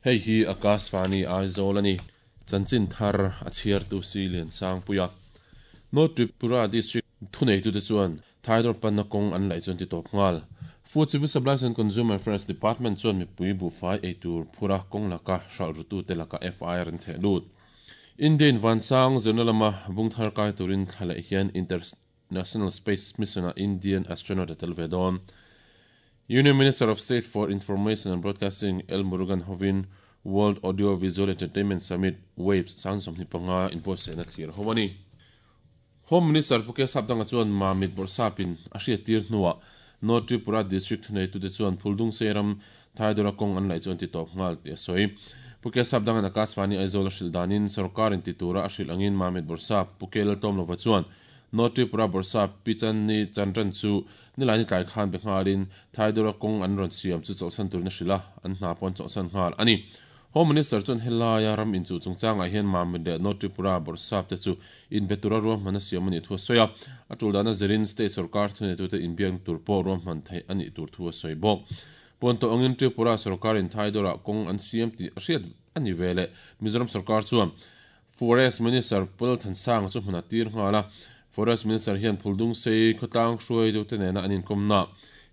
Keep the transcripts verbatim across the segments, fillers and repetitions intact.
Hei hi Akashvani Aizawl ani. Chanchin thar a chhiar tu si lian sang puia. North Tripura District thunei tu te chuan Thaidor panna kawng an laih chuan ti tawp nghal. Food Civil Supplies and Consumer Affairs Department chuan mipui buhfai eitur phura kawng laka hralh rutu te laka F I R an theh lut. Indian Vansang zirna lama bungthar kai turin thla leh hian International Space Mission a Indian astronaut a tel ve dawn. Union Minister of State for Information and Broadcasting L. Murugan hovin World Audio Visual Entertainment Summit Waves sang sawmhnih panga inbuatsaihna thlir ho ani. Home Minister Puke Sapdanga chuan Mamit Borsapin a hriat tir hnuah North Tripura District thunei tute chuan Phuldung Seiram Thaidora kawng an laih chuan ti tawp nghal ti a sawi. Puke Sapdangan Akashvani Aizawl a hrilh danin sarkarin ti tura a hrilh angin Mamit Borsap Puke Laltawmlova chuan North Tripura Borsap Pichanni Chandran chu nilaini tlai khan be nghalin Thaidora kawng an rawn siam chu chawlhsan turin a hrilh a, an hna pawh an chawlhsan nghal ani. Home Minister chuan helaia ram inchuh chungchangah hian Mamit leh North Tripura Borsap te chu inbetura ruahman a siam ani thu a sawi a. A tul dana zirin state sarkar thuneitute inbiak tur pawh ruahman theih ani tur thu a sawi bawk. Puan tawh angin Tripura sarkarin Thaidora kawng an siam tih a hriat ani ve leh Mizoram sarkar chuan Forest Minister Paul Thansang chu hmun a tir nghal a. Forest Minister hian Phuldung Sei khawtlang hruai deuh te nena an inkawmna.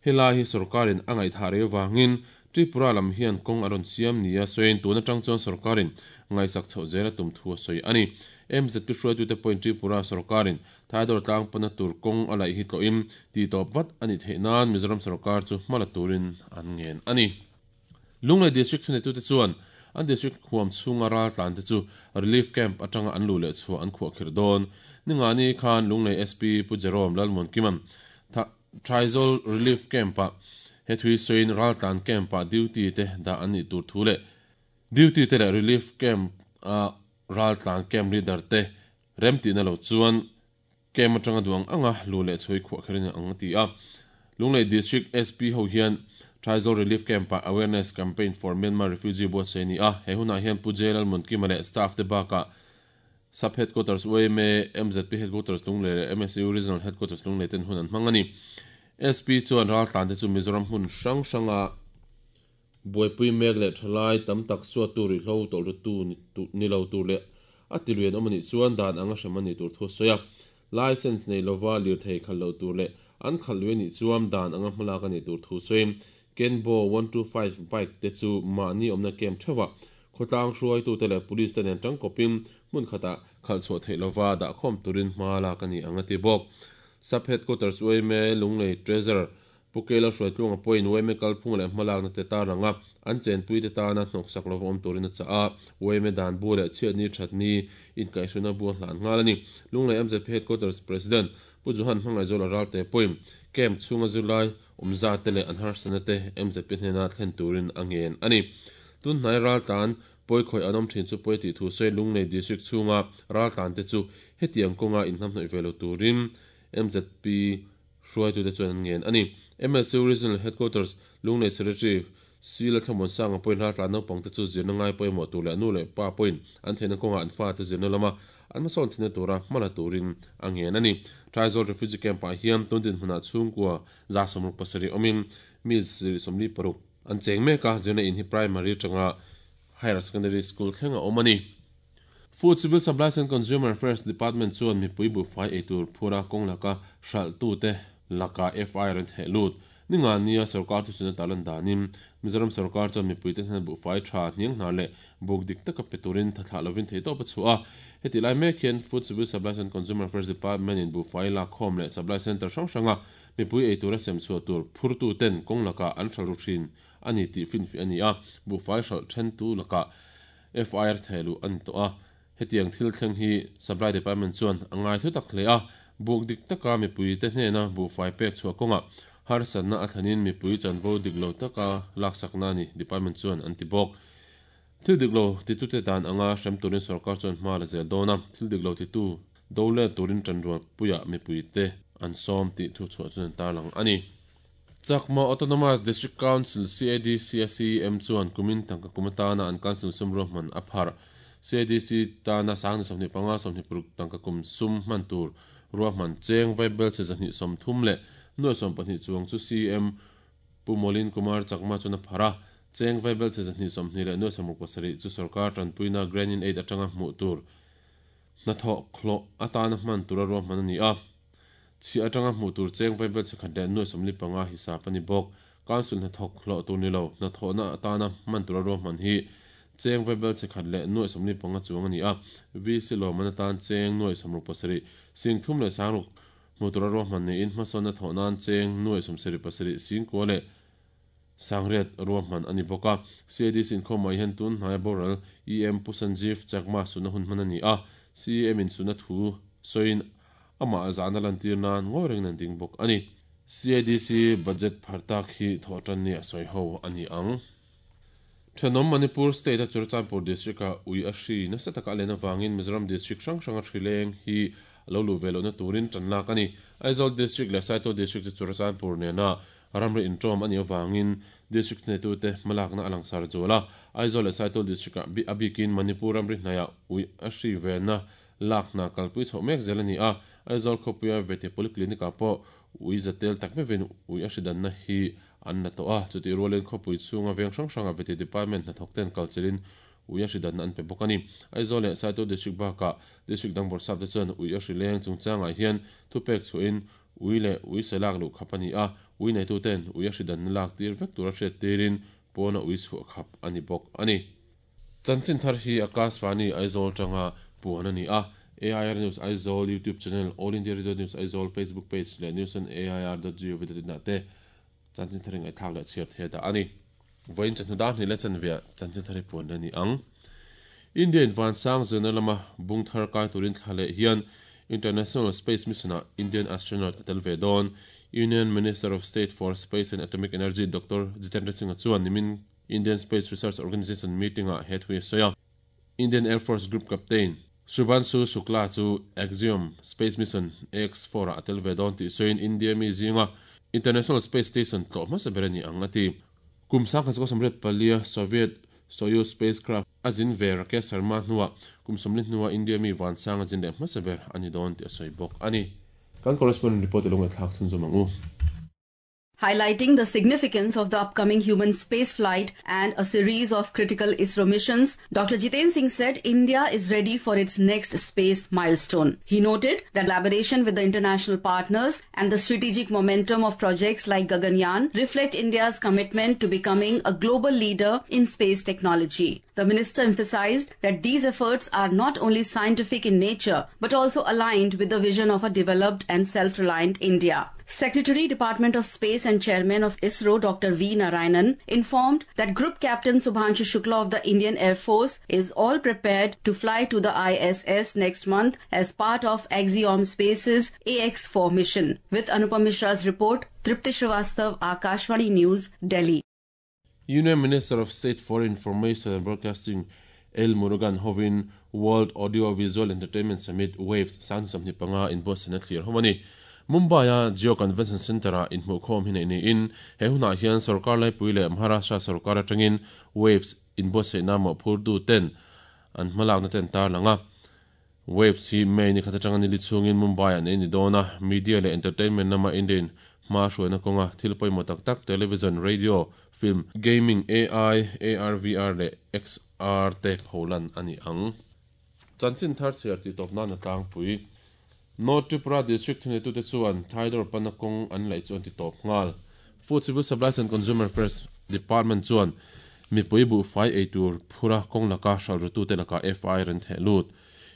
Helai hi sarkarin a ngaihthah rei wangin Tripura lam hian kawng a rawn siam nia sawiin tun atang chuan sarkarin ngaisak chhoh zela tum thu a sawi ani. M Z P hruai tute pawhin Tripura sarkarin Thaidor tlang pana tur kawng a laih hi tlawhin ti tawp vat ani theih nan Mizoram sarkar chu hmala turin an ngen ani. Lunglei District thunei tute chuan an district huam chhunga ral tlan te chu relief camp atanga an lu leh chhuah an khuah khir dawn. Ningani khan Lunglei S P Pu Jerome Lalmon Kiman Thaizol Relief Camp a he thui soin ral tlan camp a duty te da ani tur thu le duty te le relief camp a ral tlan camp leader te remti na lo chuan camp atanga duang anga lu le chhui khuah kherin ang ti a. Lunglei District S P ho hian Thaizol Relief Camp a awareness campaign for Myanmar refugee buat se ni a. He huna hian Pu Jelal Munkima le staff te baka Sub Headquarters U M A, M Z P Headquarters Lunglei le M S U Regional Headquarters Lunglei ten hun an hmang ani. S P chuan ral tlan te chu Mizoram hun hrang hranga buaipui mek leh thalai tam tak suat tur ri hlo tawlh ru tu ni lo tur leh a ti luian awm ani chuan dan anga hrem ani tur thu sawi a. License nei lova lir thei khal lo tur leh an khal lui ani chuan dan anga hmalak ani tur thu sawiin Kenbo one two five bike te chu mahni awmna camp thewa khawtlang hruai tu te leh police te nen tangkawpin hmun khatah khal chhuah theih lova dah khawm turin hma lak ani anga ti bawk. Sub Headquarters U M A Lunglei Treasurer Pukela hruai tlunga pawhin U M A kalphung leh hmalakna te tar anga an chenpui te tana hnawk sak lova awm turin a chah a. U M A dan bu leh chhiatni thatni inkaihhruna bu a hlan nghal ani. Lunglei M Z P Headquarters President Pu Johan Hmangaizawl a ral te pawhin camp chhunga zirlai awmza te leh an harsana te M Z P hnena thlen turin a ngen ani. Tun hnai ral tlan pawi khawih an awm thin chu pawi tih thu sawi Lunglei District chhunga ral tlan te chu hetiang kawnga inhnam hnawih ve lo turin M Z P hruai tu te chuan an ngen ani. M S U Regional Headquarters Lunglei Secretary Sila Thlawmon Sanga pawhin ral tlan naupang te chu zirna ngai pawimawh tur leh nu leh pa pawhin an theihna kawnga an fa te zirna lama an hmasawn thina tura hmala turin a ngen ani. Thaizol Refugee Camp ah hian tundin hmunah chhungkua za sawmruk pasarih awmin mi sawmli paruk an cheng mek a. Zirna in hi primary tanga higher secondary school thlenga awm ani. Food Civil Supplies and Consumer Affairs Department chuan mipui buhfai eitur phura kawng laka hralh tu te laka F I R an theh lut. Ninga nia sarkar thu suna talan danin Mizoram sarkar chuan mipui te hnen buhfai tha hniang hnar leh buk dik taka pe turin thathlah lovin thei tawp a chhuah a. Heti lai mek hian Food Civil Supplies and Consumer Affairs Department in buhfai lak khawm leh supply center hrang hranga mipui eitur a sem chhuah tur phur tu ten kawng laka an hralh ru thin ani tih finfi ani a. Buhfai hralh then tu laka F I R thehluh ani tawh a. Hetiang thil thleng hi Supply Department chuan a ngai thu tak hle a. Buk dik taka mipui te hnena buhfai pek chhuah kawnga harsatna a thlanin mipui chanvo dik lo taka laksakna ani department chuan an ti bawk. Thil dik lo titu te dan anga hrem turin sarkar chuan hma la zel dawn a. Thil dik lo titu do le turin tanrual puia mipui te an sawm tih thu chhuah chuan an tarlang ani. Chakma Autonomous District Council C A D C S E M chuan kumin tangka kumatana an council sum ruahman a phar. C A D C tana sangni sawmhnih panga sawmhnih paruk tangka kum sum hman tur ruahman cheng vaibel che zahnih sawm thum leh nuai sawm pahnih chuang chu C M Pu Molin Kumar Chakma chuan a phar a. Cheng vaibel che zahni sawmhnih leh nuai sawmruk pasarih chu sorkar tanpuina grant in aid atanga hmuh tur hnathawh khawh atana hman tura ruahman ani a. Chi atanga hmuh tur cheng vaibel che khat leh nuai sawmli panga hisap ani bawk. Council hnathawk hlawh tur ni lo hnathawhna atana hman tura ruahman hi cheng vaibel che khat leh nuai sawmli panga chuang ani a. V C lawman atan cheng nuai sawmruk pasarih sing thum leh sangruk hmuh tura ruahman niin hmasawn hnathawh nan cheng nuai sawmsarih pasarih sing kua leh sangriat ruahman ani bawk a. C A D C inkhawm ah hian tun hnai boral E M Pu Sanjeev Chakma suna hun hman ani a. C M in suna thu soin ama zana lantir nan ngawi reng nan ding bawk ani. C A D C budget phartak hi thawhtan ni a sawi ho ani ang. Thanom Manipur State a Churachandpur District a ui a hri nasa taka a len awangin Mizoram District hrang hrang a hrileng hi lo lu ve lohna turin tan lak ani. Aizawl District leh Saitual District chu Churachandpur nena ramri intawm ani awangin District nei tute hmalakna a langsar zual a. Aizawl leh Saitual District a a bikin Manipur ramri hnaiah ui a hri vena lakna kalpui chhoh mek zel ani a. Aizawl khawpuia vete polyclinic ah pawh ui zatel tak mevin ui a hri danna hi an la tawh a. Chuti rualin khawpui chhunga veng hrang hranga vete department hnathawk ten kalchelin ui a hri danna an pe bawk ani. Aizawl leh Saitual District bakah District dang bawrhsap te chuan ui a hri leng chungchangah hian thupek chhuahin ui leh ui selak luh khap ani a. Ui nei tu ten ui a hri danna lak tir vek tura hriat tirin pawna ui chhuah khap ani bawk ani. Chanchin thar hi Akashvani Aizawl tanga puan ani a. A I R News Aizawl YouTube channel, All India Radio News Aizawl Facebook page leh news on A I R dot gov dot in ah te chanchin thar in thlak leh chhiar the da ani. Voin chanhnu dar hnih leh chanvia chanchin thar hi puan ani ang. Indian van sang zirna lama bung thar kai turin thla leh hian International Space Mission ah Indian astronaut atel ve dawn. Union Minister of State for Space and Atomic Energy Doctor Jitendra Singh chuan nimin Indian Space Research Organization meeting ah he thui soya. Indian Air Force Group Captain Shubhanshu Shukla chu Axiom Space Mission A X four ah atel ve dawn tih soin India mi zinga International Space Station tlawh hmasa ber ani ang ati. Kum sang khat samriat palia Soviet Soyuz spacecraft azin ve Rakesh Sharma hnuah kum sawmli hnuah India mi van sang azin leh hmasa ber ani dawn tih a sawi bawk ani. Kan correspondent report along thlak chhun zawm ang u. Highlighting the significance of the upcoming human spaceflight and a series of critical ISRO missions, Doctor Jitendra Singh said India is ready for its next space milestone. He noted that collaboration with the international partners and the strategic momentum of projects like Gaganyaan reflect India's commitment to becoming a global leader in space technology. The minister emphasized that these efforts are not only scientific in nature but also aligned with the vision of a developed and self-reliant India. Secretary, Department of Space and Chairman of ISRO, Doctor V. Narayanan, informed that Group Captain Shubhanshu Shukla of the Indian Air Force is all prepared to fly to the I S S next month as part of Axiom Space's A X four mission. With Anupam Mishra's report, Tripti Srivastav, Akashvani News, Delhi. Union Minister of State for Information and Broadcasting L. Murugan hovin World Audio Visual Entertainment Summit Waves sang samni panga in Boston clear homani. Mumbai a Jio Convention Center a in hmukhawm hi nei niin he hunah hian sarkar laipui leh Maharashtra sarkar atangin Waves in buatsaihna mawhphur du ten an hmalakna ten tar langa. Waves hi May ni khat atanga ni li chhungin Mumbai an ei ni dawn a. Media leh entertainment lama Indian hma hruaina kawnga thil pawimawh tak tak television, radio, film, gaming, A I, A R V R leh X R te pholan ani ang. Chanchin thar chhiar ti tawp nan a tlangpui. North Tripura District thunei tute chuan Thaidor Panakong an laih chuan ti tawp nghal. Food Civil Supplies and Consumer Affairs Department chuan mipui bu fai eitur phura kawng laka hral te laka F I R an theh lut.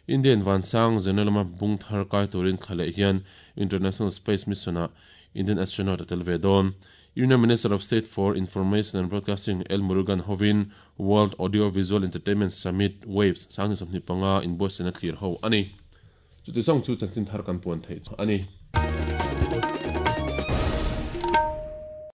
Indian vansang zenelama bung thar kai turin thla hian International Space Mission a Indian astronaut atel ve dawn. Union Minister of State for Information and Broadcasting L. Murugan hovin World Audio Visual Entertainment Summit Waves sang ni sawmhnih panga in buatsaihna thlir ho ani. Chuti zawng chu chanchin thar kan puan theih ani.